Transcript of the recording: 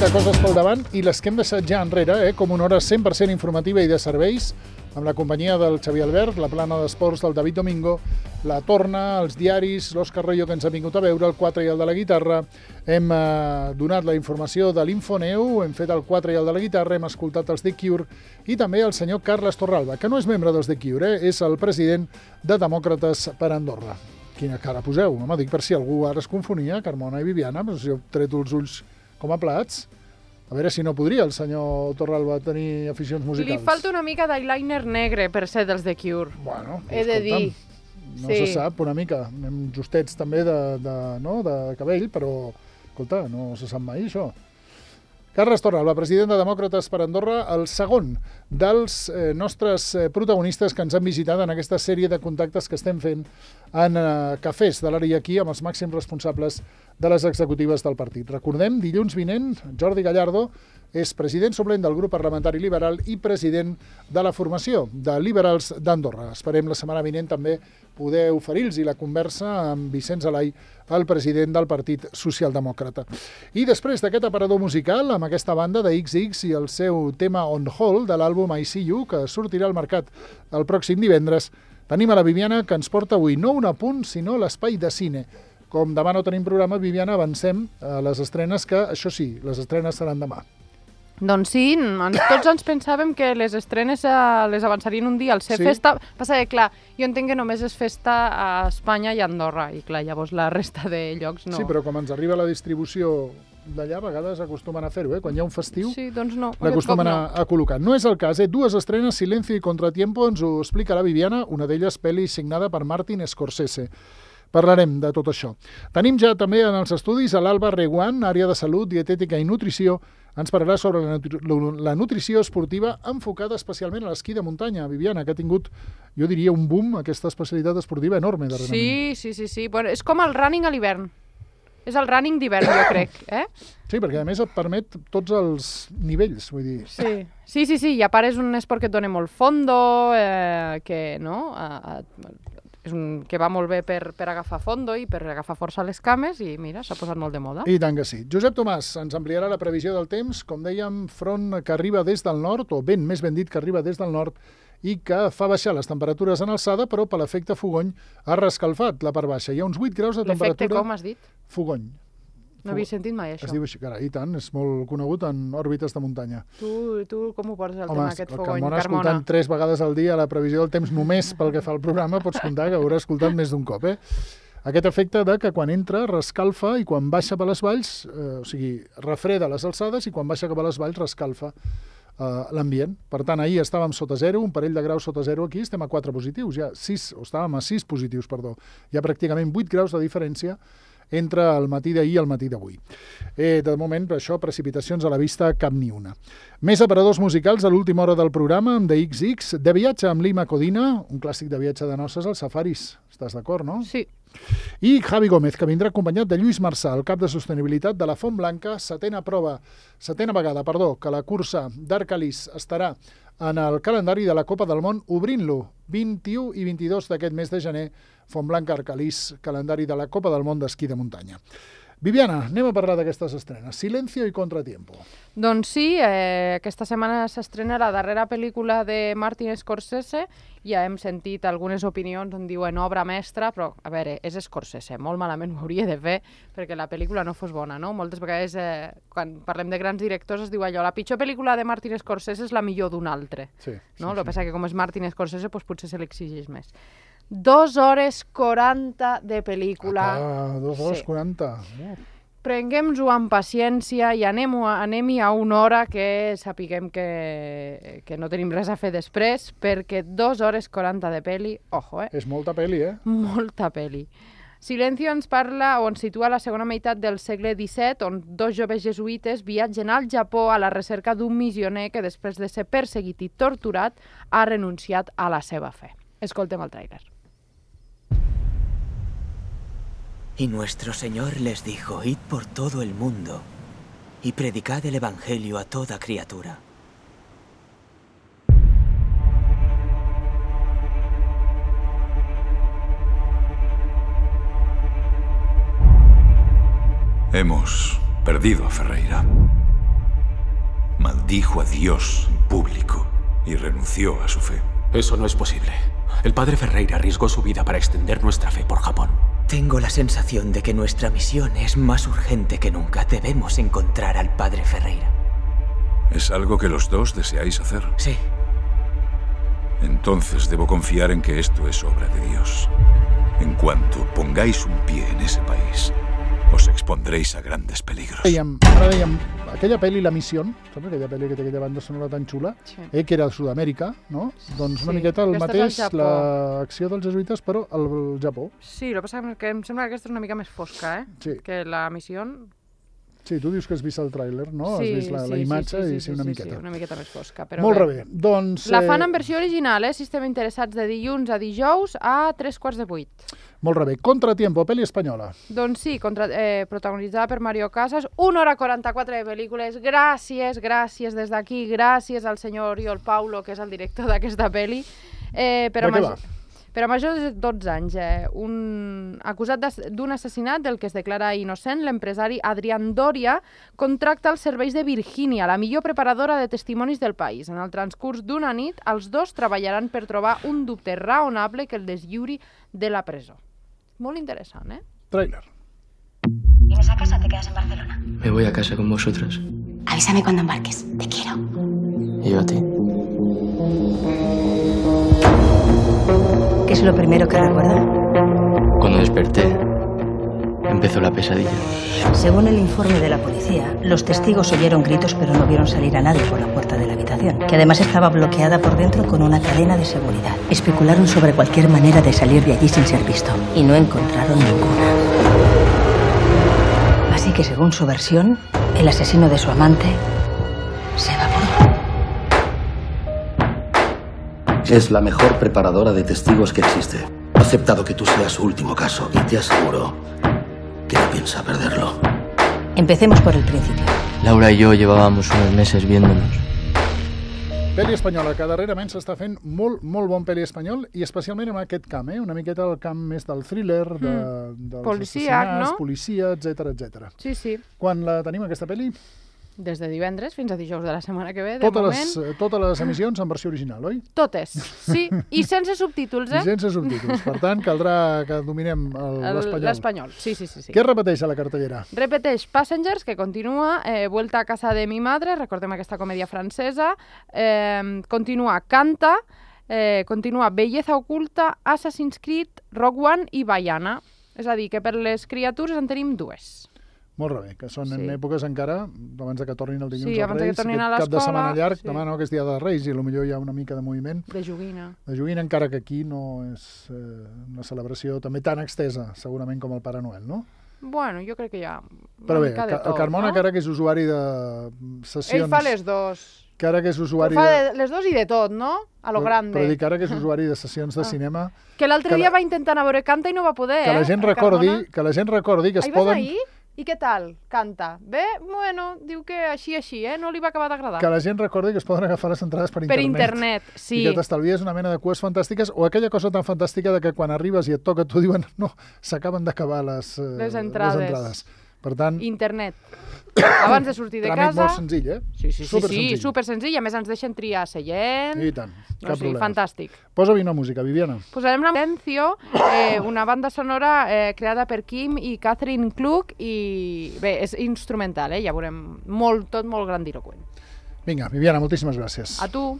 de coses pel davant i les que hem deixat ja enrere, com una hora 100% informativa i de serveis, amb la companyia del Xavier Albert, la plana d'esports del David Domingo, la torna, els diaris, l'Òscar Royo, que ens ha vingut a veure, el 4 i el de la guitarra. Hem donat la informació de l'Infoneu, hem fet el 4 i el de la guitarra, hem escoltat els The Cure i també el senyor Carles Torralba, que no és membre dels The Cure, és el president de Demòcrates per Andorra. Quina cara poseu? Home, dic per si algú ara es confonia, Carmona i Viviana, però si jo he tret els ulls com a plats. A veure si no podria el senyor Torralba tenir aficions musicals. Li falta una mica d'eyeliner negre per ser dels The Cure. Bueno, he de dir. No se sap, una mica. Anem justets també de cabell, però, escolta, no se sap mai això. Carles Torralba, president de Demòcrates per Andorra, el segon dels nostres protagonistes que ens han visitat en aquesta sèrie de contactes que estem fent en cafès de l'àrea aquí amb els màxims responsables de les executives del partit. Recordem, dilluns vinent, Jordi Gallardo és president suplent del grup parlamentari liberal i president de la formació de Liberals d'Andorra. Esperem la setmana vinent també poder oferir-los la conversa amb Vicenç Alai, el president del Partit Socialdemòcrata. I després d'aquest aparador musical, amb aquesta banda de XX i el seu tema On Hold de l'àlbum I See You, que sortirà al mercat el pròxim divendres, tenim a la Viviana, que ens porta avui no un apunt, sinó l'espai de cine. Com demà no tenim programa, Viviana, avancem a les estrenes, que això sí, les estrenes seran demà. Doncs sí, tots ens pensàvem que les estrenes les avançarien un dia al ser festa. Passa que, clar, jo entenc que només és festa a Espanya i a Andorra, i clar, llavors la resta de llocs no. Sí, però com ens arriba la distribució d'allà, a vegades acostumen a fer-ho, quan hi ha un festiu, doncs no, l'acostumen a col·locar. No és el cas, dues estrenes, Silencio i Contratiempo, ens ho explica la Viviana, una d'elles pel·li signada per Martin Scorsese. Parlarem de tot això. Tenim ja també en els estudis a l'Alba Reguant, àrea de salut, dietètica i nutrició. Ens parlarà sobre la nutrició esportiva enfocada especialment a l'esquí de muntanya. Viviana, que ha tingut, jo diria, un boom, aquesta especialitat esportiva enorme darrerament. Sí. Bueno, és com el running a l'hivern. És el running d'hivern, jo crec. Sí, perquè a més et permet tots els nivells, vull dir. Sí, i a part és un esport que et dona molt fondo, que va molt bé per agafar fondo i per agafar força a les cames i mira, s'ha posat molt de moda. I tant que sí. Josep Tomàs ens ampliarà la previsió del temps, com dèiem, front que arriba des del nord, o vent més ben dit que arriba des del nord, i que fa baixar les temperatures en alçada, però per l'efecte fogony ha rescalfat la part baixa. Hi ha uns 8 graus de temperatura... L'efecte com has dit? Fogony. No havia sentit mai això. Es diu així, carai, i tant, és molt conegut en òrbites de muntanya. Tu com ho portes el tema aquest fogony, Carmona? Escoltant 3 vegades al dia la previsió del temps només pel que fa al programa, pots comptar que haurà escoltat més d'un cop, Aquest efecte de que quan entra rescalfa i quan baixa per les valls, refreda les alçades i quan baixa cap a les valls rescalfa l'ambient. Per tant, ahir estàvem sota zero, un parell de graus sota zero aquí, estem a 4 positius, estàvem a 6 positius, perdó. Hi ha pràcticament 8 graus de diferència entre el matí d'ahir i el matí d'avui. De moment, per això, precipitacions a la vista, cap ni una. Més aparadors musicals a l'última hora del programa, amb The XX, De viatge amb Lima Codina, un clàssic de viatge de noces als safaris. Estàs d'acord, no? Sí. I Javi Gómez, que vindrà acompanyat de Lluís Marçà, el cap de sostenibilitat de la Font Blanca, setena vegada, que la cursa d'Arcalís estarà en el calendari de la Copa del Món, obrint-lo 21 i 22 d'aquest mes de gener, Font Blanca Arcalís, calendari de la Copa del Món d'esquí de muntanya. Viviana, anem a parlar d'aquestes estrenes. Silencio i Contratiempo. Doncs sí, aquesta setmana s'estrena la darrera pel·lícula de Martin Scorsese. Ja hem sentit algunes opinions on diuen obra mestra, però, a veure, és Scorsese, molt malament ho hauria de fer perquè la pel·lícula no fos bona, no? Moltes vegades, quan parlem de grans directors, es diu allò, la pitjor pel·lícula de Martin Scorsese és la millor d'un altre. No? El que passa que com és Martin Scorsese, doncs potser se l'exigeix més. 2 hores 40 de pel·lícula. 2 hores 40. Prenguem-ho amb paciència i anem-hi a una hora que sapiguem que no tenim res a fer després, perquè 2 hores 40 de pel·li, ojo, És molta pel·li, Molta pel·li. Silencio ens parla o ens situa a la segona meitat del segle XVII, on 2 joves jesuïtes viatgen al Japó a la recerca d'un missioner que després de ser perseguit i torturat ha renunciat a la seva fe. Escoltem el tràiler. Y nuestro Señor les dijo, id por todo el mundo y predicad el Evangelio a toda criatura. Hemos perdido a Ferreira. maldijo a Dios en público y renunció a su fe. Eso no es posible. El padre Ferreira arriesgó su vida para extender nuestra fe por Japón. Tengo la sensación de que nuestra misión es más urgente que nunca. Debemos encontrar al padre Ferreira. ¿Es algo que los dos deseáis hacer? Sí. Entonces debo confiar en que esto es obra de Dios. En cuanto pongáis un pie en ese país, os expondréis a grandes peligros. Ara dèiem, aquella pel·li La Misión, saps aquella pel·li que té aquella banda sonora tan xula, Sí. que era a Sud-amèrica, no? Doncs una Sí, miqueta el aquesta és al mateix, Japó. l'acció dels jesuïtes, però al Japó. Sí, el que passa és que em sembla que aquesta és una mica més fosca, Sí. que la missió... Sí, tu dius que has vist el tràiler, no? Sí, Has vist la imatge i sí, una miqueta. Sí, una miqueta més fosca. Però Molt bé. Doncs, la fan en versió original, si estem interessats, de dilluns a dijous a 3:45. Molt bé. Contratiempo, pel·li espanyola. Doncs sí, protagonitzada per Mario Casas, 1 hora 44 de pel·lícules. Gràcies des d'aquí, gràcies al senyor Oriol Paulo, que és el director d'aquesta pel·li. De què va? Per a majors de 12 anys, acusat d'un assassinat del que es declara innocent, l'empresari Adrián Doria contracta els serveis de Virgínia, la millor preparadora de testimonis del país. En el transcurs d'una nit, els dos treballaran per trobar un dubte raonable que el deslliuri de la presó. Molt interessant, Tràiler. ¿Vienes a casa o te quedas en Barcelona? Me voy a casa con vosotros. Avísame cuando embarques. Te quiero. Y yo a ti. ¿Qué es lo primero que recuerda? Cuando desperté, empezó la pesadilla. Según el informe de la policía, los testigos oyeron gritos pero no vieron salir a nadie por la puerta de la habitación, que además estaba bloqueada por dentro con una cadena de seguridad. Especularon sobre cualquier manera de salir de allí sin ser visto y no encontraron ninguna. Así que según su versión, el asesino de su amante se evaporó. Es la mejor preparadora de testigos que existe. Ha aceptado que tú seas su último caso y te aseguro que no piensa perderlo. Empecemos por el principio. Laura y yo llevábamos unos meses viéndonos. Pel·li espanyola, que darrerament s'està fent molt bon pel·li espanyol i especialment en aquest camp, una miqueta el camp més del thriller, dels Policíac, assassinats, no? policia, etc. Sí. Quan la tenim, aquesta pel·li? Des de divendres fins a dijous de la setmana que ve, de moment. Totes les emissions en versió original, oi? Totes, sí. I sense subtítols, I sense subtítols. Per tant, caldrà que dominem l'espanyol. L'espanyol, sí. Què repeteix a la cartellera? Repeteix Passengers, que continua, Vuelta a casa de mi madre, recordem aquesta comèdia francesa, continua Canta, continua Belleza oculta, Assassin's Creed, Rogue One i Baiana. És a dir, que per les criatures en tenim dues. Molt bé, que són en èpoques encara, abans que tornin el dilluns abans als Reis, que tornin a aquest cap de setmana l'escola, llarg, demà no, que és dia de Reis, i potser hi ha una mica de moviment. De joguina. De joguina, encara que aquí no és una celebració també tan extesa, segurament, com el Pare Noel, no? Bueno, jo crec que hi ha Però bé, el Carmona, que ara que és usuari de sessions... Ell fa les dos. Que ara que és usuari fa les dos i de tot, no? A lo grande. Però dic, ara que és usuari de sessions de cinema... Que l'altre dia va intentar anar a veure Canta i no va poder, que la gent recordi que es poden... Ahir vas ahir? I què tal? Canta. Bé? Bueno, diu que així, no li va acabar d'agradar. Que la gent recordi que es poden agafar les entrades per internet. Per internet, sí. I que t'estalvies una mena de cues fantàstiques o aquella cosa tan fantàstica de que quan arribes i et toca tu diuen no, s'acaben d'acabar les entrades. Per tant... Internet. Abans de sortir de casa... Tràmit molt senzill, Sí, super senzill. A més ens deixen triar seient. I tant, cap problema. Fantàstic. Posa-hi una música, Viviana. Posarem la Silencio, una banda sonora creada per Kim i Catherine Klug i bé, és instrumental, ja veurem, tot molt grandiloqüent. Vinga, Viviana, moltíssimes gràcies. A tu.